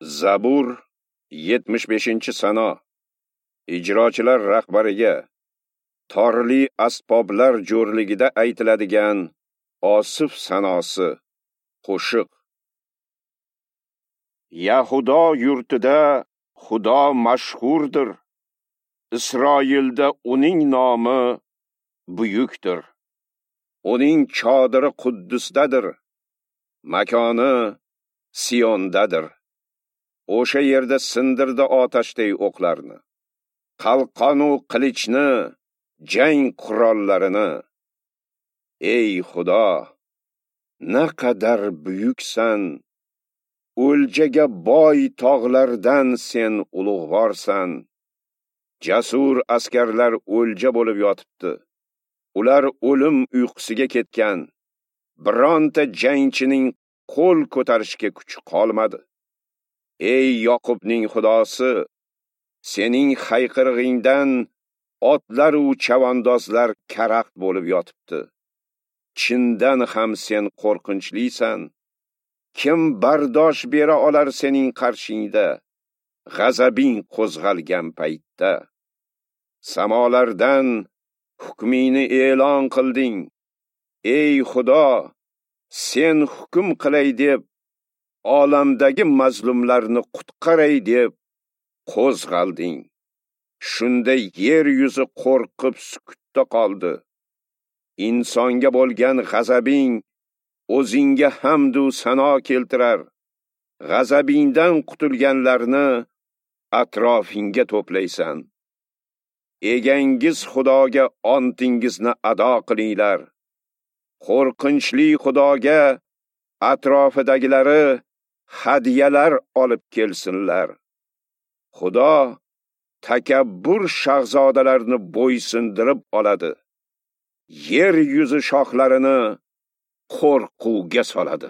Zabur 75-sano. Ijrochilar rahbariga torli asboblar jo'rligida aytiladigan Osif sanosi, qo'shiq. Yahudo yurtida Xudo mashhurdir. Isroilda uning nomi buyukdir. Uning chodiri Quddusdadir, makoni Siondadir. O'sha yerda sindirdi otashdek o'qlarni, qalqonu qilichni, jang qurollarini. Ey Xudo, naqadar buyuksan! O'ljaga boy tog'lardan sen ulug'vorsan. Jasur askarlar o'lja bo'lib yotibdi. Ular o'lim uyqusiga ketgan. Bironta jangchining qo'l ko'tarishga kuchi qolmadi. Ey Yoqubning Xudosi, sening hayqirig'ingdan otlar u chavandozlar karaxt bo'lib yotibdi. Chindan ham sen qo'rqinchlisan. Kim bardosh bera olar sening qarshingda, g'azabing qo'zg'algan paytda? Samolardan hukmingni e'lon qilding. Ey Xudo, sen hukm qilay deb, olamdagi mazlumlarni qutqaray deb qo'zg'alding. Shunda yer yuzi qo'rqib sukutda qoldi. Insonga bo'lgan g'azabing o'zingga hamd u sano keltirar. G'azabingdan qutulganlarni atrofingga to'playsan. Egangiz Xudoga ontingizni ado qilinglar. Qo'rqinchli Xudoga atrofidagilari hadiyalar olib kelsinlar. Xudo takabbur shahzodalarni bo'ysundirib oladi. Yer yuzi shoxlarini qo'rquvga soladi.